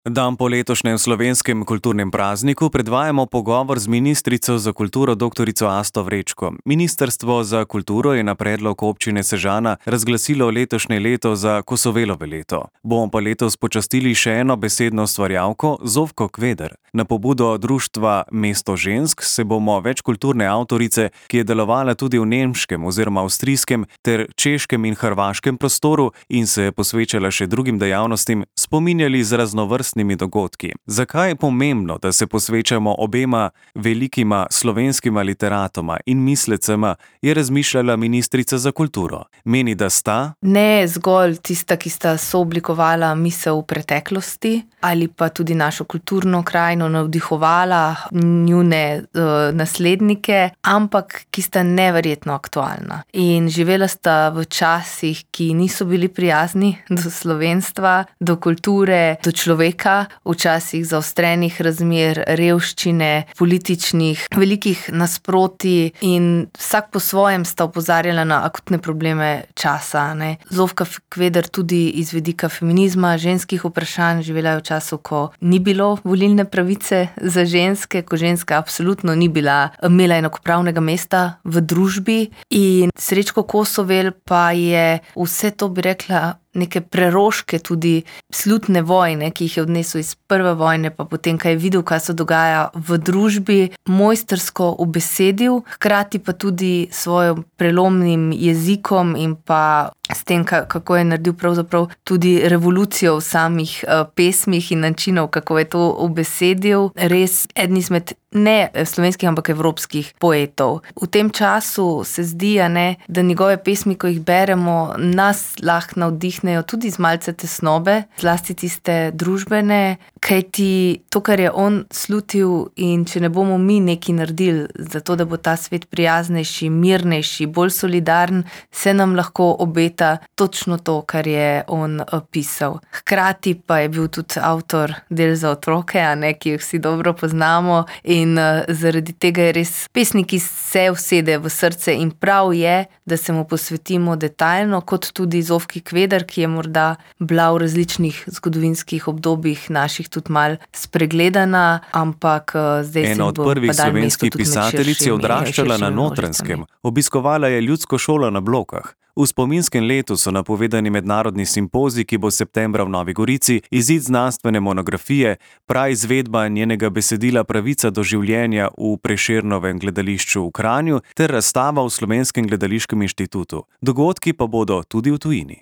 Dan po letošnjem slovenskem kulturnem prazniku predvajamo pogovor z ministrico za kulturo dr. Asto Vrečko. Ministrstvo za kulturo je na predlog občine Sežana razglasilo letošnje leto za Kosovelove leto. Bomo pa letos počastili še eno besedno ustvarjalko, Zofko Kveder. Na pobudo društva Mesto žensk se bomo večkulturne avtorice, ki je delovala tudi v nemškem oziroma avstrijskem ter češkem in hrvaškem prostoru in se posvečala še drugim dejavnostim, spominjali z raznovrstnimi dogodki. Zakaj je pomembno, da se posvečamo obema velikima slovenskima literatoma in mislecema, je razmišljala ministrica za kulturo. Meni, da sta ne zgolj tista, ki sta sooblikovala misel v preteklosti ali pa tudi našo kulturno krajino navdihovala njune naslednike, ampak ki sta neverjetno aktualna. In živela sta v časih, ki niso bili prijazni do slovenstva, do kulture, do človeka, v časih zaostrenih razmer, revščine, političnih, velikih nasprotij in vsak po svojem sta opozarjala na akutne probleme časa. Zofka Kveder tudi iz vidika feminizma, ženskih vprašanj, živela je v času, ko ni bilo volilne pravice za ženske, ko ženska absolutno ni imela enakopravnega mesta v družbi. In Srečko Kosovel pa je vse to, bi rekla, neke preroške tudi slutne vojne, ki jih je odnesel iz prve vojne, pa potem, kaj je videl, kaj se dogaja v družbi, mojstrsko ubesedil, hkrati pa tudi s svojim prelomnim jezikom in pa s tem, kako je naredil pravzaprav tudi revolucijo v samih pesmih in načinov, kako je to ubesedil. Res eden izmed ne slovenskih, ampak evropskih poetov. V tem času se zdi, da njegove pesmi, ko jih beremo, nas lahko navdihnejo tudi z malce tesnobe, zlasti tiste družbene, kajti to, kar je on slutil, in če ne bomo mi nekaj naredili za to, da bo ta svet prijaznejši, mirnejši, bolj solidaren, se nam lahko obeta točno to, kar je on pisal. Hkrati pa je bil tudi avtor del za otroke, ki jih vsi dobro poznamo, in zaradi tega je res pesnik, ki se usede v srce, in prav je, da se mu posvetimo detaljno, kot tudi Zofki Kveder, ki je morda bila v različnih zgodovinskih obdobjih naših tudi mal spregledana, ampak zdaj ena od prvih slovenskih pisateljic je odraščala na Notranjskem. Obiskovala je ljudsko šolo na Blokah. V spominskem letu so napovedani mednarodni simpozij, ki bo septembra v Novi Gorici, izid znanstvene monografije, praizvedba njenega besedila Pravica do življenja v Prešernovem gledališču v Kranju ter razstava v Slovenskem gledališkem inštitutu. Dogodki pa bodo tudi v tujini.